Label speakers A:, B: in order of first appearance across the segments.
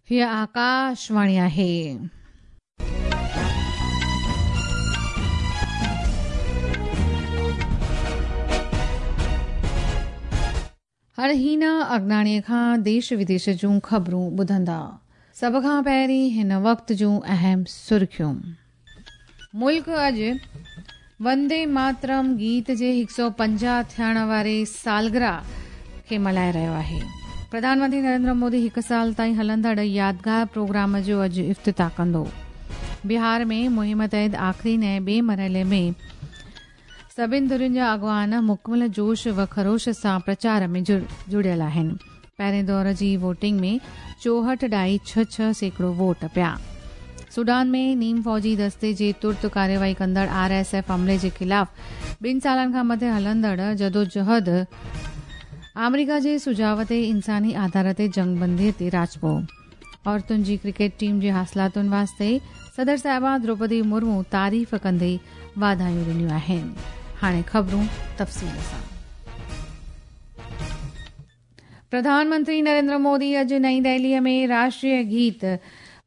A: هيء آڪاشواڻي آهي. هاڻ هينا اگناڻيء کان ديش وديش جون خبرون ٻڌندا. سڀ کان پهرين هن وقت جون اهم سرخيون. ملڪ اڄ وندي ماترم گيت جي 150 ٿيڻ واري سالگرهه کي ملهائي رهيو آهي. پرڌان منتري نريندر مودي هڪ سال تائين هلندڙ يادگار پروگرام جو اڄ افتتاح ڪندو. بهار ۾ مهم تحت آخرين ۽ ٻئي مرحلي ۾ سڀن ڌرين جا اڳواڻ مڪمل جوش و خروش سان پرچار ۾ جڙيل آهن. پهرين دور جي ووٽنگ ۾ چوهٺ ڏهائي ڇهه ڇهه سيڪڙو ووٽ پيا. سوڊان ۾ نيم فوجي دستي جي ترت ڪارروائي ڪندڙ آر ايس ايف عملي جي خلاف ٻن سالن کان مٿي هلندڙ جدوجهد آمريڪا جي سجهاء تي انساني آڌار تي جنگبندي تي راضپو. عورتن جي ڪرڪيٽ ٽيم جي حاصلاتن واسطي صدر صاحبه دروپدي مرمو تعريف ڪندي واڌايون ڏنيون آهن. هاڻي خبرون تفصيل سان. پرڌان منتري نريندر مودي اڄ نئين دهليء ۾ راشٽريه گيت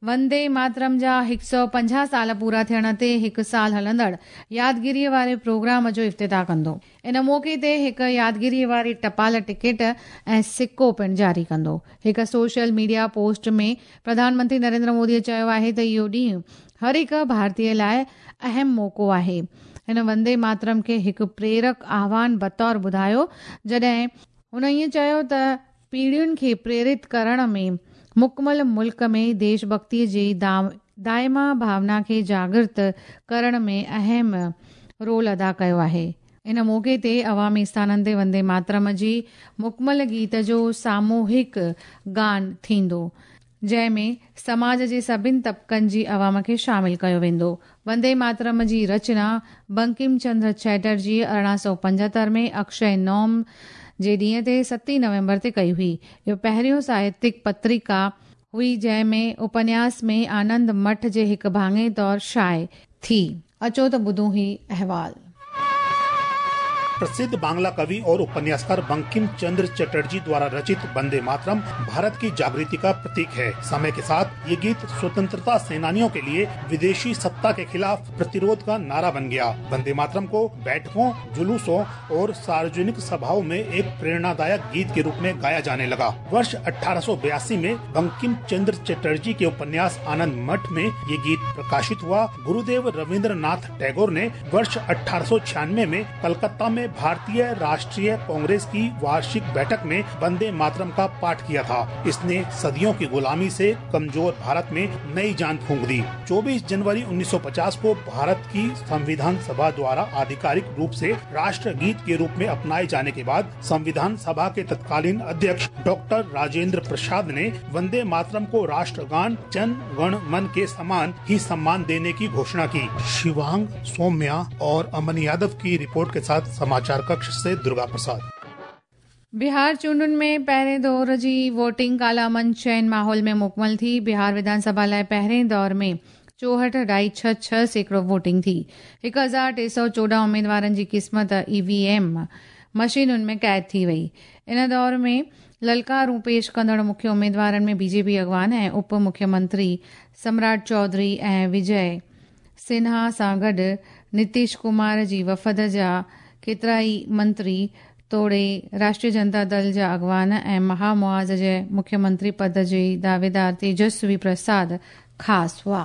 A: وندي ماترم جا 150 سال پورا ٿيڻ تي هڪ سال هلندڙ يادگيريء واري پروگرام جو افتتاح ڪندو. ان موقعي تي هڪ يادگيريء واري ٽپال ٽڪيٽ ۽ سڪو پڻ جاري ڪندو. هڪ social media post ۾ Pradhan Mantri Narendra Modi چيو آهي ته اهو ڏينهن هر هڪ ڀارتي لاء اهم موقعو آهي. هن وندي ماترم کي هڪ پريرڪ آهوان بطور ٻڌايو جڏهن هن ائين چيو ته پيڙهين کي پريرت ڪرڻ ۾ مڪمل ملڪ ۾ ديش ڀڳتي جي دائما ڀاونا کي جاڳرت ڪرڻ ۾ اهم رول ادا ڪيو آهي. ان موقعي تي عوامي اسٿانن تي وندي ماترم جي مڪمل گيت جو ساموهڪ گان ٿيندو. جنهن ۾ سماج جي سڀن طبقن جي عوام کي شامل ڪيو ويندو. وندي ماترم جي رچنا بنڪم چندر چيٽرجيء 1875 ۾ اڪشي نوم جي ڏينهن تي ستين نومبر تي ڪئي هئي. اهو پهريون ساهتڪ پتريڪا هئي جنهن ۾ اپنياس ۾ آنند مٺ جي هڪ ڀاڱي طور شايع ٿي. اچو ته ٻڌون هي احوال.
B: प्रसिद्ध बांग्ला कवि और उपन्यासकार बंकिम चंद्र चटर्जी द्वारा रचित वंदे मातरम भारत की जागृति का प्रतीक है। समय के साथ ये गीत स्वतंत्रता सेनानियों के लिए विदेशी सत्ता के खिलाफ प्रतिरोध का नारा बन गया। वंदे मातरम को बैठकों, जुलूसों और सार्वजनिक सभाओं में एक प्रेरणादायक गीत के रूप में गाया जाने लगा। वर्ष 1882 में बंकिम चंद्र चटर्जी के उपन्यास आनंद मठ में ये गीत प्रकाशित हुआ। गुरुदेव रविंद्रनाथ टैगोर ने वर्ष 1896 में कलकत्ता में भारतीय राष्ट्रीय कांग्रेस की वार्षिक बैठक में वंदे मातरम का पाठ किया था। इसने सदियों की गुलामी से कमजोर भारत में नई जान फूंक दी। 24 जनवरी 1950 को भारत की संविधान सभा द्वारा आधिकारिक रूप से राष्ट्र गीत के रूप में अपनाए जाने के बाद संविधान सभा के तत्कालीन अध्यक्ष डॉक्टर राजेंद्र प्रसाद ने वंदे मातरम को राष्ट्रगान जन गण मन के समान ही सम्मान देने की घोषणा की। शिवांग सौम्या और अमन यादव की रिपोर्ट के साथ समाचार कक्ष से दुर्गा प्रसाद।
A: बिहार चूंडुनि में पहिरें दौर जी वोटिंग काल्ह अमन चैन माहौल में मुकमल थी। बिहार विधानसभा लाइ पहिरें दौर में चोहठि ॾहाई छह छह सैकड़ो वोटिंग थी। 1314 उमेदवारनि जी क़िस्मत ई वी एम मशीनुनि में क़ैद थी वई। इन दौर में ललकारूं पेश कंदड़ मुख्य उमेदवारनि में बीजेपी अॻवान ऐं उप मुख्यमंत्री सम्राट चौधरी ऐं विजय सिन्हा सां गॾु नीतीश कुमार जी वफ़द जा केतिरा ई मंत्री तोड़े राष्ट्रीय जनता दल जा अॻवान ऐं महामुआज़ जे मुख्यमंत्री पद जे दावेदार तेजस्वी प्रसाद ख़ासि हुआ।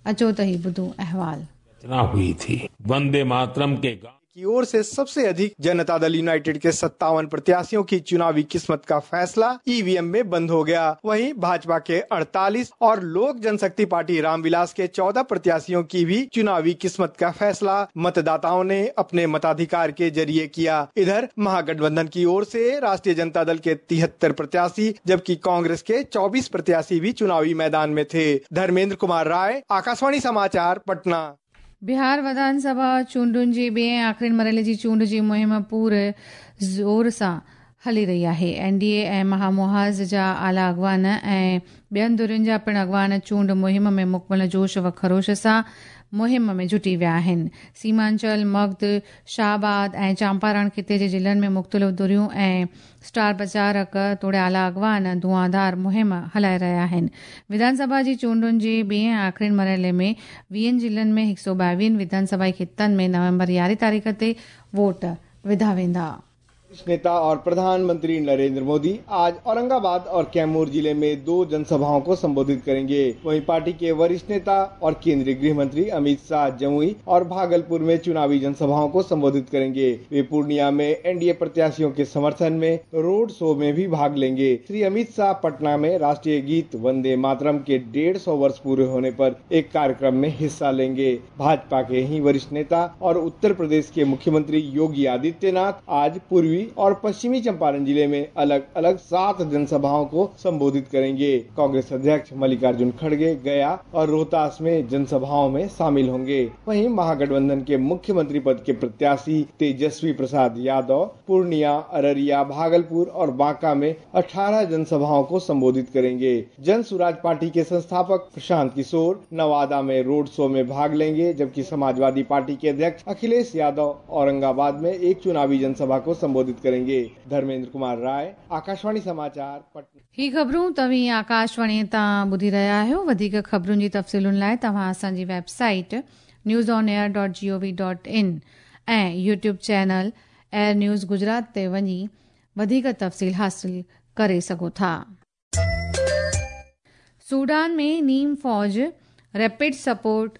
A: अचो त ही ॿुधूं अहवाल।
C: रचना हुई थी वंदे मातरम के गान
D: की ओर से सबसे अधिक जनता दल यूनाइटेड के 57 प्रत्याशियों की चुनावी किस्मत का फैसला ईवीएम में बंद हो गया। वहीं भाजपा के 48 और लोक जनशक्ति पार्टी रामविलास के 14 प्रत्याशियों की भी चुनावी किस्मत का फैसला मतदाताओं ने अपने मताधिकार के जरिए किया। इधर महागठबंधन की ओर से राष्ट्रीय जनता दल के 73 प्रत्याशी जबकि कांग्रेस के 24 प्रत्याशी भी चुनावी मैदान में थे। धर्मेंद्र कुमार राय, आकाशवाणी समाचार, पटना।
A: बिहार विधानसभा चूंडुनि जे ॿिए ऐं आख़िरी मरहले जी चूंड जी मुहिम पूरे ज़ोर सां हली रही आहे। एनडीए ऐं महामुहाज़ जा आला अॻवान ऐं ॿियनि धुरियुनि जा पिणु अॻवान चूंड मुहिम में मुकमल जोश व खरोश सां मुहिम में जुटी विया आहिनि। सीमांचल, मगध, शाहबाद ऐं चांपारण ख़िते जे ज़िलनि में मुख़्तलिफ़ धुरियूं ऐं स्टार प्रचारक तोड़े आला अॻवान धुआंधार मुहिम हलाए रहिया आहिनि। विधानसभा जी चूंडुनि जे ॿिए ऐं आख़िरी मरहले में 20 ज़िलनि में 122 विधानसभा ख़ितनि में नवंबर 11 तारीख़ ते वोट विधा वेंदा।
D: नेता और प्रधानमंत्री नरेंद्र मोदी आज औरंगाबाद और कैमूर जिले में 2 जनसभाओं को संबोधित करेंगे। वहीं पार्टी के वरिष्ठ नेता और केंद्रीय गृह मंत्री अमित शाह जमुई और भागलपुर में चुनावी जनसभाओं को संबोधित करेंगे। वे पूर्णिया में एनडीए प्रत्याशियों के समर्थन में रोड शो में भी भाग लेंगे। श्री अमित शाह पटना में राष्ट्रीय गीत वंदे मातरम के 150 वर्ष पूरे होने पर एक कार्यक्रम में हिस्सा लेंगे। भाजपा के ही वरिष्ठ नेता और उत्तर प्रदेश के मुख्यमंत्री योगी आदित्यनाथ आज पूर्वी और पश्चिमी चंपारण जिले में अलग अलग 7 जनसभाओं को संबोधित करेंगे। कांग्रेस अध्यक्ष मल्लिकार्जुन खड़गे गया और रोहतास में जनसभाओं में शामिल होंगे। वहीं महागठबंधन के मुख्यमंत्री पद के प्रत्याशी तेजस्वी प्रसाद यादव पूर्णिया, अररिया, भागलपुर और बांका में 18 जनसभाओं को संबोधित करेंगे। जन सुराज पार्टी के संस्थापक प्रशांत किशोर नवादा में रोड शो में भाग लेंगे, जबकि समाजवादी पार्टी के अध्यक्ष अखिलेश यादव औरंगाबाद में एक चुनावी जनसभा को संबोधित करेंगे। धर्मेंद्र कुमार राय, आकाशवाणी समाचार, पटना।
A: ही ख़बरूं तव्हीं आकाशवाणी तां ॿुधी रहिया आहियो। वधीक ख़बरुनि जी तफ़सीलुनि लाइ तव्हां असांजी वेबसाइट newsonair.gov.in ऐं YouTube channel air news Gujarat ते वञी वधीक तफ़सील हासिल करे सघो था। सूडान में नीम फ़ौज रैपिड सपोर्ट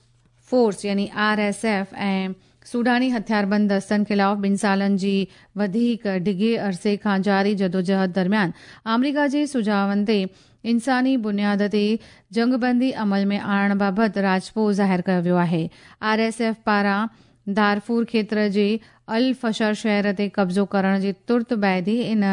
A: फोर्स यानी RSF ऐं सूडानी हथियारबंद दस्तनि ख़िलाफ़ 2 सालनि जी वधीक डिघे अरसे खां जारी जदोजहद दरमियान आमेरिका जे सुझावनि ते इंसानी बुनियाद ते जंगबंदी अमल में आणण बाबति राज़पो ज़ाहिर कयो वियो आहे। RSF पारां दारफूर क्षेत्र जे अल फशर शहर ते कब्ज़ो करण जे तुर्त बाद ई इन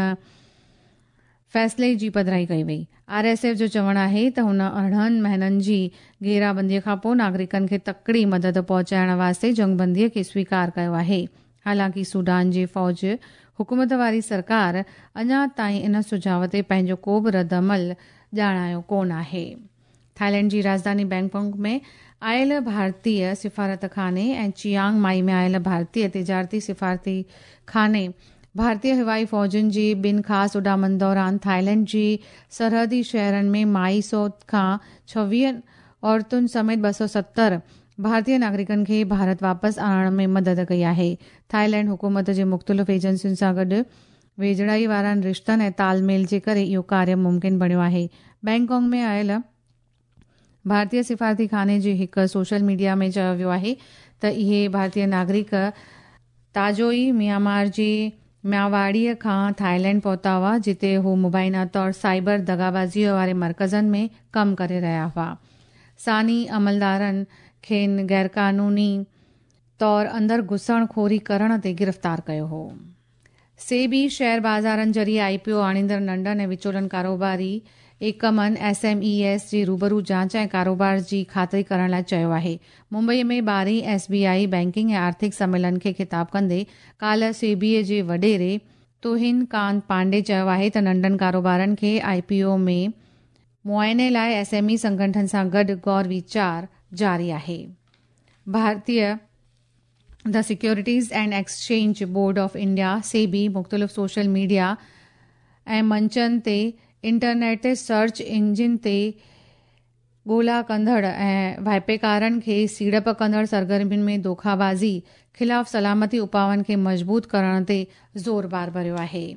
A: फ़ैसिले जी पधराई कई वई। RSF जो चवणु आहे त हुन 18 महीननि जी घेराबंदीअ खां पोइ नागरिकनि खे तकड़ी मदद पहुचाइण वास्ते जंगबंदीअ खे स्वीकार कयो आहे। हालांकि सूडान जी फ़ौज हुकूमत वारी सरकार अञा ताईं इन सुझाव ते पंहिंजो को बि रद्द अमल ॼाणायो कोन आहे। थाईलैंड जी राजधानी बैंकॉक में आयल भारतीय सिफारत खाने ऐं चियांग माई में आयल भारतीय तिजारती सिफारती खाने भारतीय हवाई फ़ौजुनि जी ॿिनि ख़ासि उॾामनि दौरान थाईलैंड जी सरहदी शहरनि में माई सोत खां 26 औरतुनि समेत 270 भारतीय नागरिकनि खे भारत वापसि आणण में मदद कई आहे। थाईलैंड हुकूमत जे मुख़्तलिफ़ एजेंसियुनि सां गॾु वेझड़ाई वारनि रिश्तनि ऐं तालमेल जे करे इहो कार्य मुमकिन बणियो आहे। बैंकॉक में आयल भारतीय सिफारती खाने जी हिकु सोशल मीडिया में चयो वियो आहे त इहे भारतीय नागरिक ताज़ो ई म्यांमार जी म्यावाड़ीअ खां थाईलैंड पहुता हुआ, जिते हू मुबैना तौर साइबर दगाबाज़ीअ वारे मर्कज़नि में कमु करे रहिया हुआ। सानी अमलदारनि खेनि ग़ैरक़ानूनी तौर अंदरि घुसणखोरी करण ते गिरफ़्तार कयो हो। सेबी शेयर बाज़ारनि ज़रिए IPO आणींदड़ नंढनि ऐं विचोलनि कारोबारी एकमनि SMEs जी रूबरू जांच ऐं कारोबार जी ख़ातिरी करण लाइ चयो आहे। मुंबईअ में 12वीं SBI banking ऐं आर्थिक सम्मेलन खे ख़िताब कंदे काल्ह सेबीअ जे वॾेरे तुहिन कांत पांडे चयो आहे त नंढनि कारोबारनि खे IPO में मुआइने लाइ SME संगठन सां गॾु गौर वीचार जारी आहे। भारतीय the securities and exchange board of India SEBI मुख़्तलिफ़ सोशल मीडिया ऐं मंचनि ते इंटरनेट ते सर्च इंजिन ते ॻोल्हा कंदड़ ऐं वाहिपेदारनि खे सीड़प कंदड़ सरगर्मियुनि में धोखाबाज़ी ख़िलाफ़ सलामती उपाउनि खे मज़बूत करण ते ज़ोर बार भरियो आहे।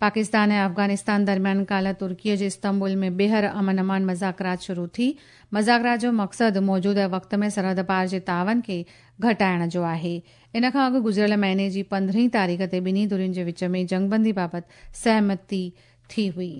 A: पाकिस्तान ऐं अफ़गानिस्तान दरमियान काल्ह तुर्कीअ जे इस्तंबुल में ॿीहर अमन अमान मज़ाकरात शुरू थी। मज़ाकरात जो मक़सदु मौजूदा वक़्त में सरहद पार जे तावन खे घटाइण जो आहे। इन खां अॻु गुज़िरियल महीने जी 15 तारीख़ ते ॿिन्ही धुरियुनि जे विच में जंगबंदी बाबति सहमति थी हुई।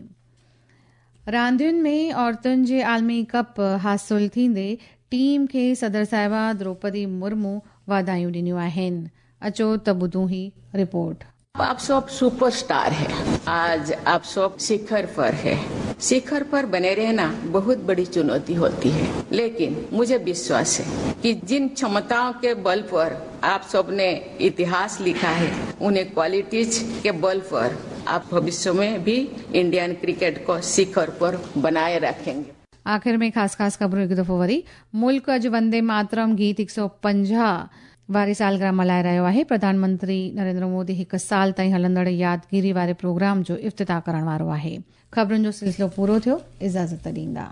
A: रांदियुनि में औरतुनि जे आलमी कप हासिल थींदे टीम खे सदर साहिबा द्रौपदी मुर्मू वाधायूं ॾिनियूं आहिनि। अचो त ॿुधूं ही रिपोर्ट।
E: आप सब सुपरस्टार है, आज आप सब शिखर पर है। शिखर पर बने रहना बहुत बड़ी चुनौती होती है, लेकिन मुझे विश्वास है कि जिन क्षमताओं के बल पर आप सबने इतिहास लिखा है, उन्हें क्वालिटीज के बल पर आप भविष्य में भी इंडियन क्रिकेट को शिखर पर बनाए रखेंगे।
A: आख़िर में ख़ासि ख़ासि ख़बरूं हिकु दफ़ो वरी। मुल्क अॼु वंदे मातरम गीत 150 वारी सालगिरह मल्हाए रहियो आहे। प्रधानमंत्री नरेंद्र मोदी हिकु साल ताईं हलंदड़ यादगिरी वारे प्रोग्राम जो इफ़्तिताह करण वारो आहे। ख़बरुनि जो सिलसिलो पूरो थियो, इजाज़त ॾींदा।